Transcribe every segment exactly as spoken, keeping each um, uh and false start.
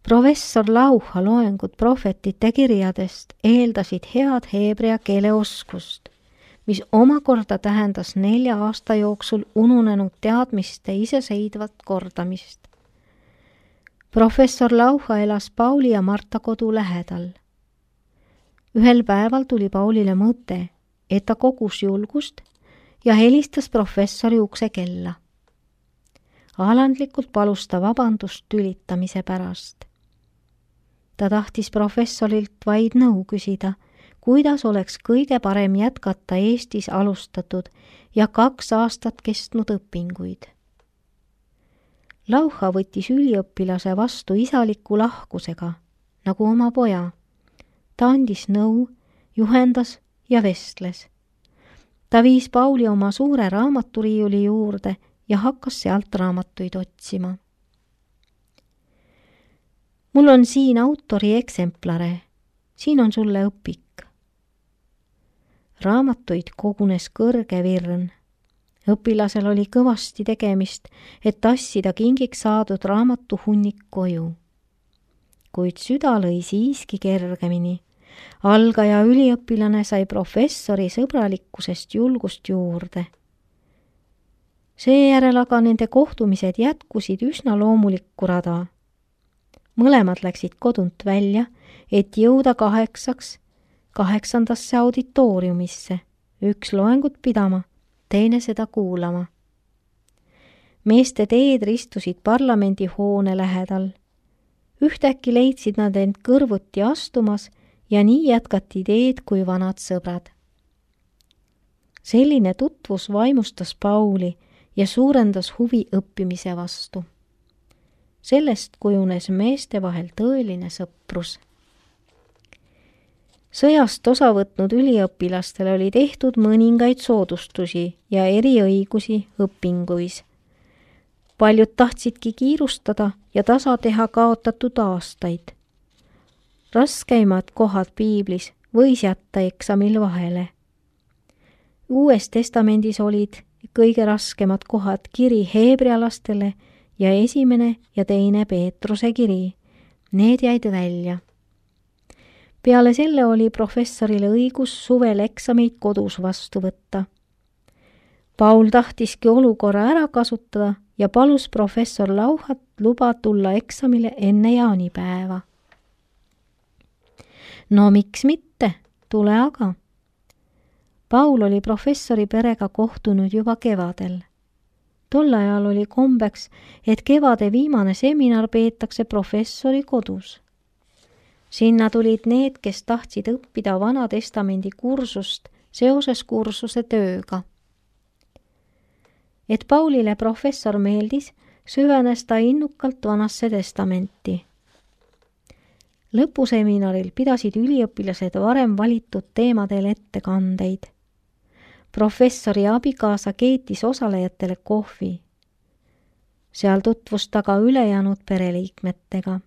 Professor Lauha loengud prohvetite kirjadest eeldasid head heebrea keele oskust, mis omakorda tähendas nelja aasta jooksul ununenud teadmiste iseseisvat kordamist. Professor Lauha elas Pauli ja Marta kodu lähedal. Ühel päeval tuli Paulile mõte, et ta kogus julgust ja helistas professori ukse kella. Alandlikult palus ta vabandust tülitamise pärast. Ta tahtis professorilt vaid nõu küsida, kuidas oleks kõige parem jätkata Eestis alustatud ja kaks aastat kestnud õpinguid. Lauha võttis üliõpilase vastu isaliku lahkusega, nagu oma poja. Ta andis nõu, juhendas ja vestles. Ta viis Pauli oma suure raamaturiiuli juurde ja hakkas sealt raamatuid otsima. Mul on siin autori eksemplare, siin on sulle õpik. Raamatuid kogunes kõrge virn. Õpilasel oli kõvasti tegemist, et tassida kingiks saadud raamatu hunnik koju. Kuid süda lõi siiski kergemini. Algaja üliõpilane sai professori sõbralikkusest julgust juurde. Seejärel aga nende kohtumised jätkusid üsna loomulikku rada. Mõlemad läksid kodunt välja, et jõuda kaheksaks, kaheksandasse auditooriumisse, üks loengut pidama, teine seda kuulama. Meeste teed ristusid parlamendi hoone lähedal. Ühtäkki leidsid nad end kõrvuti astumas ja nii jätkati teed kui vanad sõbrad. Selline tutvus vaimustas Pauli ja suurendas huvi õppimise vastu. Sellest kujunes meeste vahel tõeline sõprus. Sõjast osa võtnud üliõpilastele oli tehtud mõningaid soodustusi ja eriõigusi õpinguis. Paljud tahtsidki kiirustada ja tasa teha kaotatud aastaid. Raskeimad kohad piiblis võis jätta eksamil vahele. Uues testamendis olid kõige raskemad kohad kiri heebrealastele ja esimene ja teine Peetruse kiri. Need jäid välja. Peale selle oli professorile õigus suvel eksameid kodus vastu võtta. Paul tahtiski olukorra ära kasutada ja palus professor Lauhat luba tulla eksamile enne jaanipäeva. No miks mitte, tule aga. Paul oli professori perega kohtunud juba kevadel. Tol ajal oli kombeks, et kevade viimane seminar peetakse professori kodus. Sinna tulid need, kes tahtsid õppida Vana Testamendi kursust seoses kursuse tööga. Et Paulile professor meeldis, süvenes ta innukalt Vanasse Testamenti. Lõpuseminaril pidasid üliõpilased varem valitud teemadel ettekandeid. Professori abikaasa keetis osalejatele kohvi. Seal tutvus ta ka ülejäänud pereliikmetega.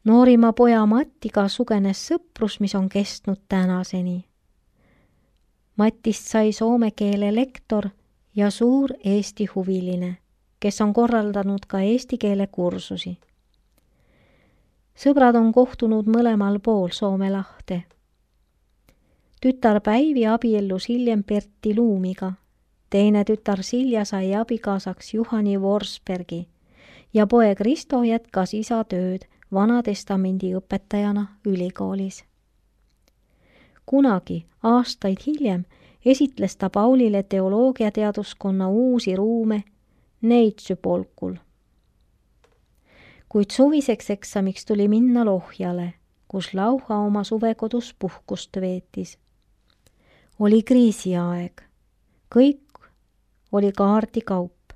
Noorima poja Mattiga sugenes sõprus, mis on kestnud tänaseni. Matist sai soome keele lektor ja suur eesti huviline, kes on korraldanud ka eesti keele kursusi. Sõbrad on kohtunud mõlemal pool Soome lahte. Tütar Päivi abiellus hiljem Pertti Luumiga, teine tütar Silja sai abikaasaks Juhani Forsbergi ja poeg Risto jätkas isa tööd Vana Testamendi õpetajana ülikoolis. Kunagi, aastaid hiljem, esitles ta Paulile teoloogiateaduskonna uusi ruume Neitsüpolkul. Kuid suviseks eksamiks tuli minna Lohjale, kus Lauha oma suvekodus puhkust veetis. Oli kriisiaeg. Kõik oli kaardikaup,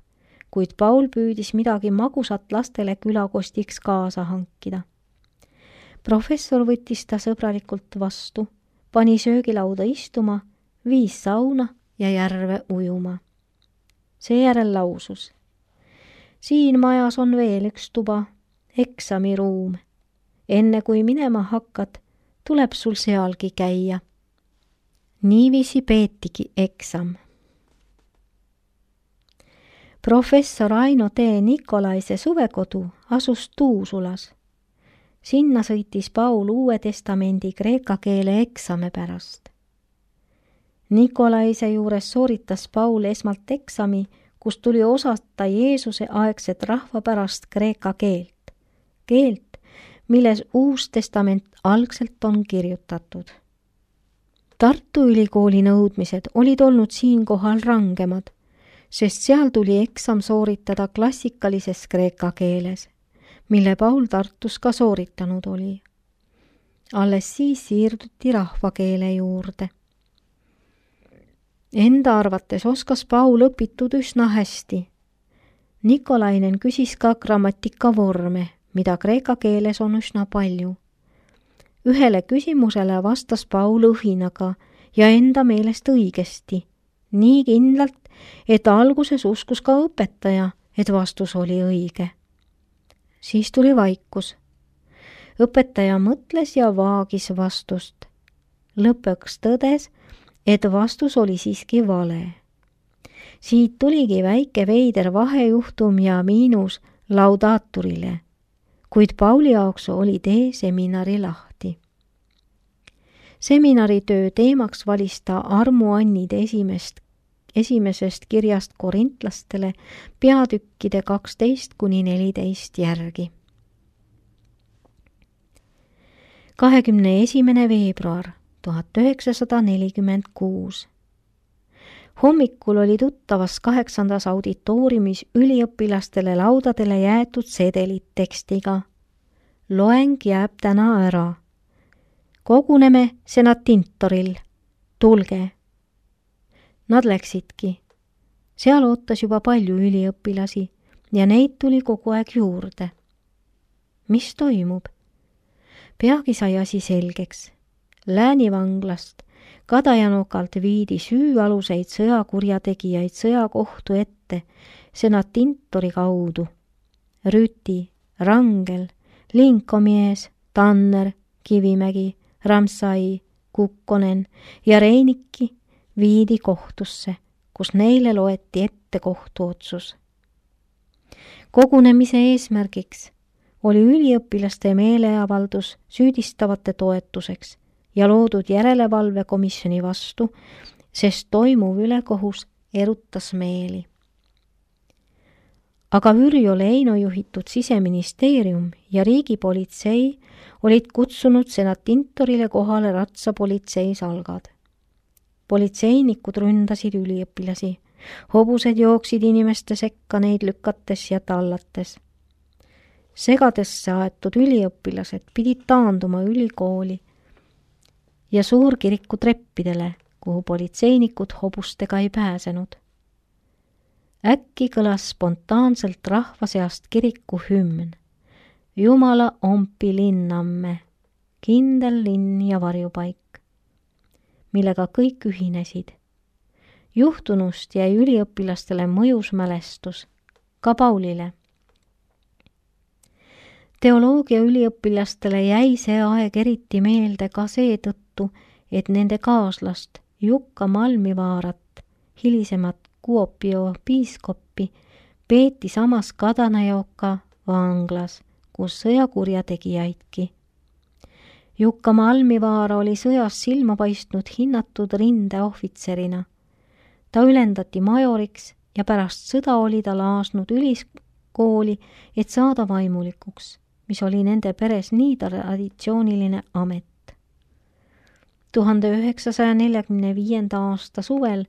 kuid Paul püüdis midagi magusat lastele külakostiks kaasa hankida. Professor võttis ta sõbralikult vastu, pani söögilauda istuma, viis sauna ja järve ujuma. Seejärel lausus. Siin majas on veel üks tuba, eksamiruum. Enne kui minema hakkad, tuleb sul sealgi käia. Niiviisi peetigi eksam. professor Aino T. Nikolaise suvekodu asus Tuusulas. Sinna sõitis Paul Uue Testamendi kreeka keele eksami pärast. Nikolaise juures sooritas Paul esmalt eksami, kus tuli osata Jeesuse aegset rahvapärast kreeka keelt, keelt, milles Uus Testament algselt on kirjutatud. Tartu Ülikooli nõudmised olid olnud siinkohal rangemad, sest seal tuli eksam sooritada klassikalises kreeka keeles, mille Paul Tartus ka sooritanud oli. Alles siis siirduti rahvakeele juurde. Enda arvates oskas Paul õpitud üsna hästi. Nikolainen küsis ka grammatika vorme, mida kreeka keeles on üsna palju. Ühele küsimusele vastas Paul õhinaga ja enda meelest õigesti, nii kindlalt, et alguses uskus ka õpetaja, et vastus oli õige. Siis tuli vaikus. Õpetaja mõtles ja vaagis vastust. Lõpuks tõdes, et vastus oli siiski vale. Siit tuligi väike veider vahejuhtum ja miinus laudaaturile, kuid Pauli jaoks oli tee seminari lahti. Seminaritöö teemaks valis ta armuannide esimest, esimesest kirjast korintlastele peatükkide kaksteist kuni neliteist järgi. kahekümne esimene veebruar tuhat üheksasada nelikümmend kuus. Hommikul oli tuttavas kaheksandas auditooriumis üliõpilastele laudadele jäetud sedelid tekstiga. Loeng jääb täna ära. Koguneme senatintoril. Tulge. Nad läksidki. Seal ootas juba palju üliõpilasi ja neid tuli kogu aeg juurde. Mis toimub? Peagi sai asi selgeks. Läänivanglast Kadajanokalt viidi süüaluseid sõjakurjategijaid sõjakohtu ette senatintori kaudu. Rüti, Rangel, Linkomies, Tanner, Kivimägi, Ramsai, Kukkonen ja Reinikki viidi kohtusse, kus neile loeti ette kohtuotsus. Kogunemise eesmärgiks oli üliõpilaste meeleavaldus süüdistavate toetuseks ja loodud järelevalvekomisjoni vastu, sest toimuv ülekohus erutas meeli. Aga Vürjo Leino juhitud Siseministeerium ja riigipolitsei olid kutsunud senatintorile kohale ratsapolitsei salgad. Politseinikud ründasid üliõpilasi, hobused jooksid inimeste sekka neid lükates ja tallates. Segadesse aetud üliõpilased pidid taanduma ülikooli ja suurkiriku treppidele, kuhu politseinikud hobustega ei pääsenud. Äkki kõlas spontaanselt rahva seast kiriku hümn. Jumala ompi linnamme, kindel linn ja varjupaik, millega kõik ühinesid. Juhtunust jäi üliõpilastele mõjus mälestus, ka Paulile. Teoloogia üliõpilastele jäi see aeg eriti meelde ka seetõttu, et nende kaaslast Jukka Malmivaarat, hilisemat Kuopio piiskoppi, peeti samas Kadanajoka vanglas, kus sõjakurjategijaidki. Jukka Malmivaara oli sõjas silma paistnud hinnatud rindeohvitserina. Ta ülendati majoriks ja pärast sõda oli ta laasnud üliskooli, et saada vaimulikuks, mis oli nende peres nii traditsiooniline amet. tuhande üheksasaja neljakümne viienda aasta suvel,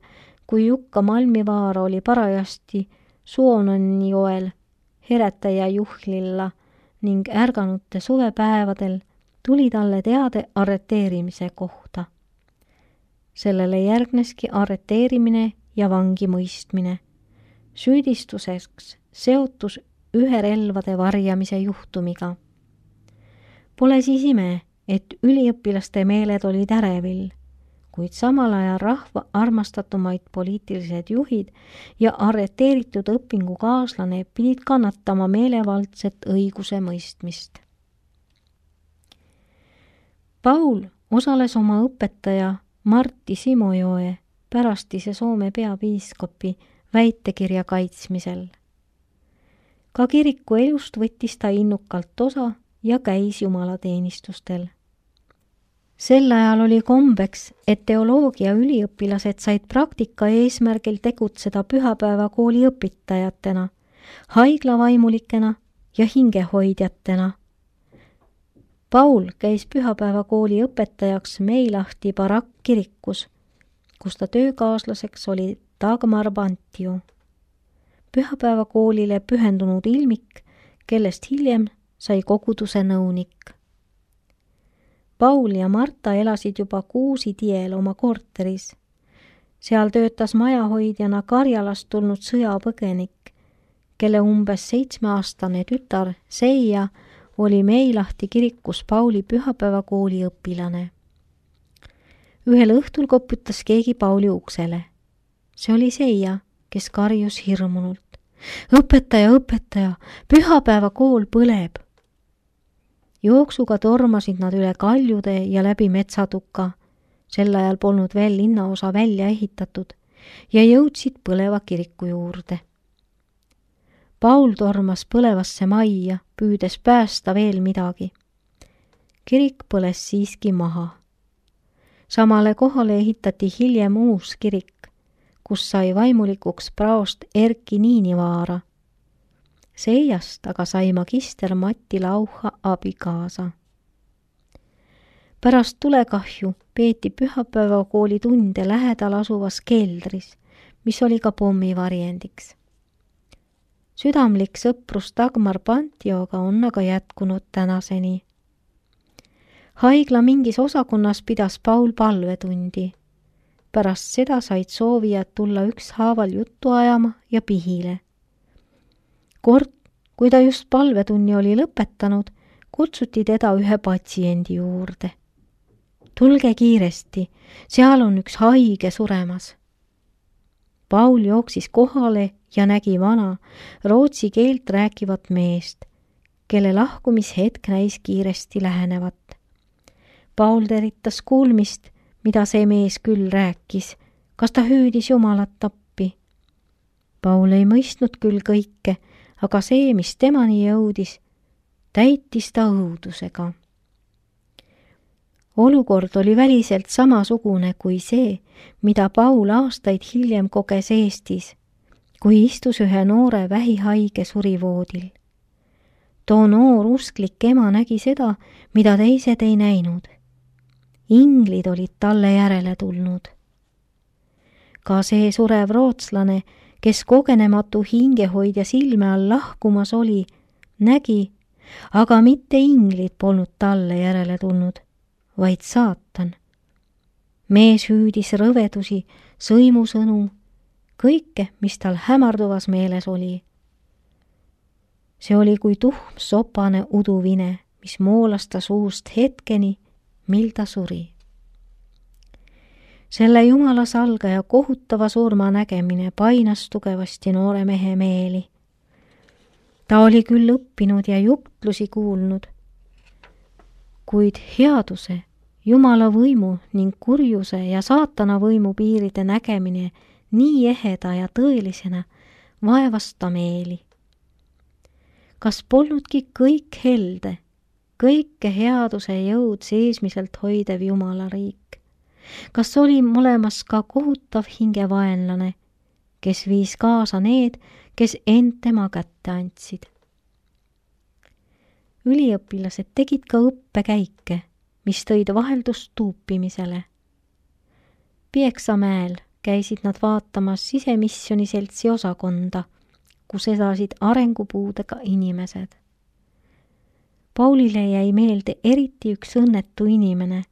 kui Jukka Malmivaara oli parajasti Suononni joel Heretaja Juhlilla ning ärganute suvepäevadel, tuli talle teade arreteerimise kohta. Sellele järgneski arreteerimine ja vangi mõistmine. Süüdistuseks seotus ühe relvade varjamise juhtumiga. Pole siis ime, et üliõpilaste meeled olid ärevil, kuid samal ajal rahva armastatumaid poliitilised juhid ja arreteeritud õpingukaaslane pidid kannatama meelevaldset õiguse mõistmist. Paul osales oma õpetaja Martti Simojoe, pärastise Soome peapiiskopi, väitekirja kaitsmisel. Ka kiriku elust võttis ta innukalt osa ja käis jumalateenistustel. Sel ajal oli kombeks, et teoloogia üliõpilased said praktika eesmärgil tegutseda pühapäevakooli õpitajatena, haiglavaimulikena ja hingehoidjatena. Paul käis pühapäevakooli õpetajaks Meilahti Barak-kirikus, kus ta töökaaslaseks oli Dagmar Bantio, pühapäevakoolile pühendunud ilmik, kellest hiljem sai koguduse nõunik. Paul ja Marta elasid juba Kuusi tiel oma korteris. Seal töötas majahoidjana Karjalast tulnud sõjapõgenik, kelle umbes seitsmeaastane tütar Seia oli Meilahti kirikus Pauli pühapäevakooli õpilane. Ühel õhtul koputas keegi Pauli uksele. See oli Seia, kes karjus hirmunult. Õpetaja, õpetaja, pühapäevakool põleb! Jooksuga tormasid nad üle kaljude ja läbi metsatuka, sel ajal polnud veel linnaosa välja ehitatud, ja jõudsid põleva kiriku juurde. Paul tormas põlevasse majja, püüdes päästa veel midagi. Kirik põles siiski maha. Samale kohale ehitati hiljem uus kirik, kus sai vaimulikuks praost Erki Niinivaara. Seiast aga sai magister Mati Lauha abikaasa. Pärast tulekahju peeti pühapäevakooli tunde lähedal asuvas keldris, mis oli ka pommivarjendiks. Südamlik sõprus Dagmar Bantioga on aga jätkunud tänaseni. Haigla mingis osakonnas pidas Paul palvetundi. Pärast seda said soovijad tulla ükshaaval juttu ajama ja pihile. Kord, kui ta just palvetunni oli lõpetanud, kutsuti teda ühe patsiendi juurde. Tulge kiiresti, seal on üks haige suremas. Paul jooksis kohale ja nägi vana, rootsi keelt rääkivat meest, kelle lahkumishetk näis kiiresti lähenevat. Paul teritas kuulmist, mida see mees küll rääkis, kas ta hüüdis Jumalat appi. Paul ei mõistnud küll kõike, aga see, mis temani jõudis, täitis ta õudusega. Olukord oli väliselt samasugune kui see, mida Paul aastaid hiljem koges Eestis, kui istus ühe noore vähihaige surivoodil. Too noor usklik ema nägi seda, mida teised ei näinud. Inglid olid talle järele tulnud. Ka see surev rootslane, kes kogenematu hingehoidja silme all lahkumas oli, nägi, aga mitte inglid polnud talle järele tulnud, vaid saatan. Mees hüüdis rõvedusi, sõimusõnu, kõike, mis tal hämarduvas meeles oli. See oli kui tuhm sopane uduvine, mis moolas ta suust hetkeni, mil ta suri. Selle Jumala salgaja kohutava surma nägemine painas tugevasti noore mehe meeli. Ta oli küll õppinud ja jutlusi kuulnud, kuid headuse, Jumala võimu ning kurjuse ja saatana võimu piiride nägemine nii eheda ja tõelisena vaevas ta meeli. Kas polnudki kõik helde, kõike headuse jõud seesmiselt hoidev Jumala riik? Kas oli olemas ka kohutav hingevaenlane, kes viis kaasa need, kes end tema kätte andsid? Üliõpilased tegid ka õppekäike, mis tõid vaheldust tuupimisele. Pieksamäel käisid nad vaatamas Sisemisjoni seltsi osakonda, kus elasid arengupuudega inimesed. Paulile jäi meelde eriti üks õnnetu inimene,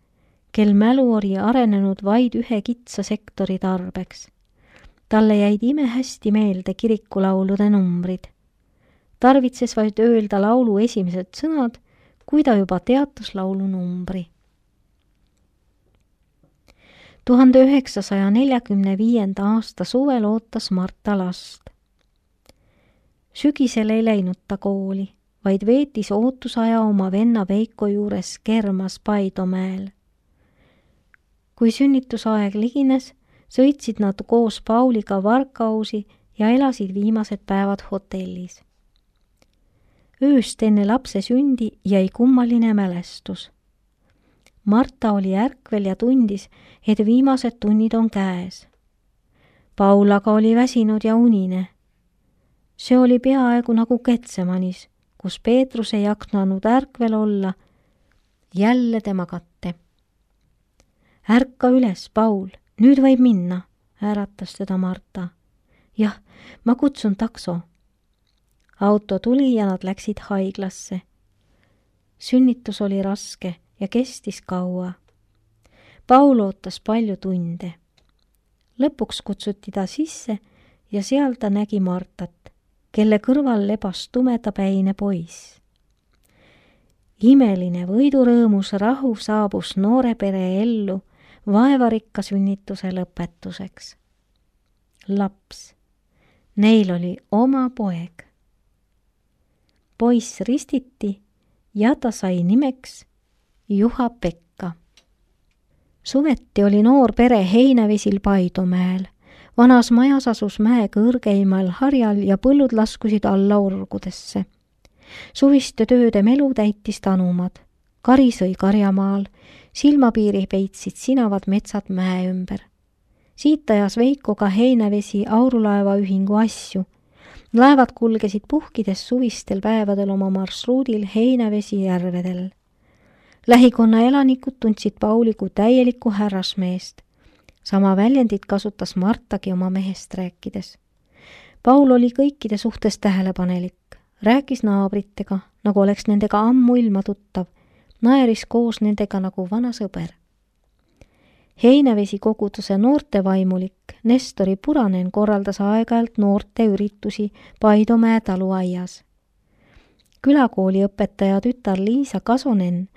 kel mälu oli arenenud vaid ühe kitsa sektori tarbeks. Talle jäid imehästi meelde kirikulaulude numbrid. Tarvitses vaid öelda laulu esimesed sõnad, kui ta juba teatas laulu numbri. tuhande üheksasaja neljakümne viienda aasta suvel ootas Marta last. Sügisel ei läinud ta kooli, vaid veetis ootusaja oma venna Veiko juures Kermas Paidomäel. Kui sünnitusaeg ligines, sõitsid nad koos Pauliga Varkausi ja elasid viimased päevad hotellis. Ööst enne lapse sündi jäi kummaline mälestus. Marta oli ärkvel ja tundis, et viimased tunnid on käes. Paul aga oli väsinud ja unine. See oli peaaegu nagu Getsemanis, kus Peetrus ei jaknanud ärkvel olla, jälle tema katte. Ärka üles, Paul, nüüd võib minna, äratas teda Marta. Jah, ma kutsun takso. Auto tuli ja nad läksid haiglasse. Sünnitus oli raske ja kestis kaua. Paul ootas palju tunde. Lõpuks kutsuti ta sisse ja seal ta nägi Martat, kelle kõrval lebas tumedapäine poiss. Imeline võidurõõmus rahu saabus noore pere ellu vaevarikka sünnituse lõpetuseks. Laps. Neil oli oma poeg. Poiss ristiti ja ta sai nimeks Juha-Pekka. Suveti oli noor pere Heinavesil Paidomäel. Vanas majas asus mäe kõrgeimal harjal ja põllud laskusid alla orgudesse. Suviste tööde melu täitis tanumad. Kari sõi karjamaal, silmapiiri peitsid sinavad metsad mäe ümber. Siit ajas Veiko ka Heinavesi Aurulaeva ühingu asju. Laevad kulgesid puhkides suvistel päevadel oma marsruudil Heinavesi järvedel. Lähikonna elanikud tundsid Pauli kui täielikku härrasmeest. Sama väljendit kasutas Martagi oma mehest rääkides. Paul oli kõikide suhtes tähelepanelik, rääkis naabritega, nagu oleks nendega ammu ilma tuttav, naeris koos nendega nagu vana sõber. Heinavesi koguduse noortevaimulik Nestori Puranen korraldas aeg-ajalt noorte üritusi Paidomäe taluaias. Külakooli õpetaja tütar Liisa Kasonen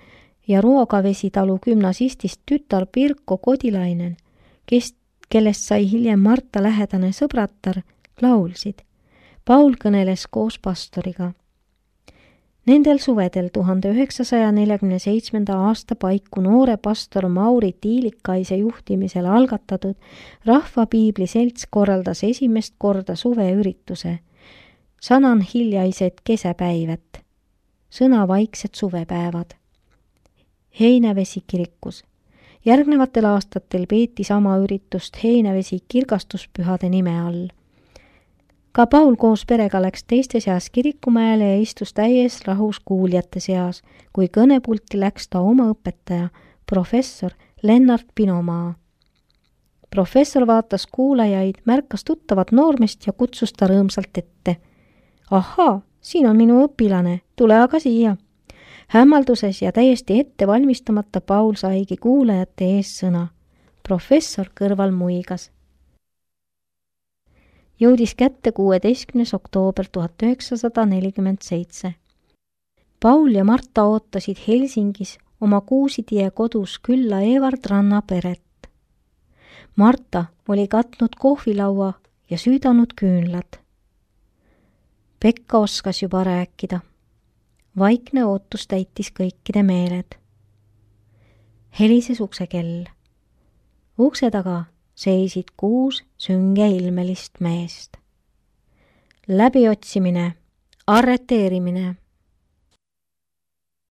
ja Ruogavesi talu gümnasistist tütar Pirko Kodilainen, kes, kellest sai hiljem Marta lähedane sõbratar, laulsid. Paul kõneles koos pastoriga. Nendel suvedel tuhande üheksasaja neljakümne seitsmenda aasta paiku noore pastor Mauri Tiilikaise juhtimisel algatatud Rahvapiibli selts korraldas esimest korda suveürituse. Sanan hiljaised kesäpäivet, sõna vaiksed suvepäevad. Heinavesi kirikus. Järgnevatel aastatel peeti sama üritust Heinavesi kirgastuspühade nime all. Ka Paul koos perega läks teiste seas kirikumäele ja istus täies rahus kuuljate seas, kui kõnepulti läks ta oma õpetaja, professor Lennart Pinomaa. Professor vaatas kuulajaid, märkas tuttavat noormest ja kutsus ta rõõmsalt ette. Ahaa, siin on minu õpilane, tule aga siia. Hämmalduses ja täiesti ette valmistamata Paul saigi kuulajate ees sõna. Professor kõrval muigas. Jõudis kätte kuueteistkümnes oktoober tuhat üheksasada nelikümmend seitse. Paul ja Marta ootasid Helsingis oma Kuusitie kodus külla Evard Ranna peret. Marta oli katnud kohvilaua ja süüdanud küünlad. Pekka oskas juba rääkida. Vaikne ootus täitis kõikide meeled. Helises uksekell. Ukse taga seisid kuus süngeilmelist meest. Läbiotsimine, arreteerimine,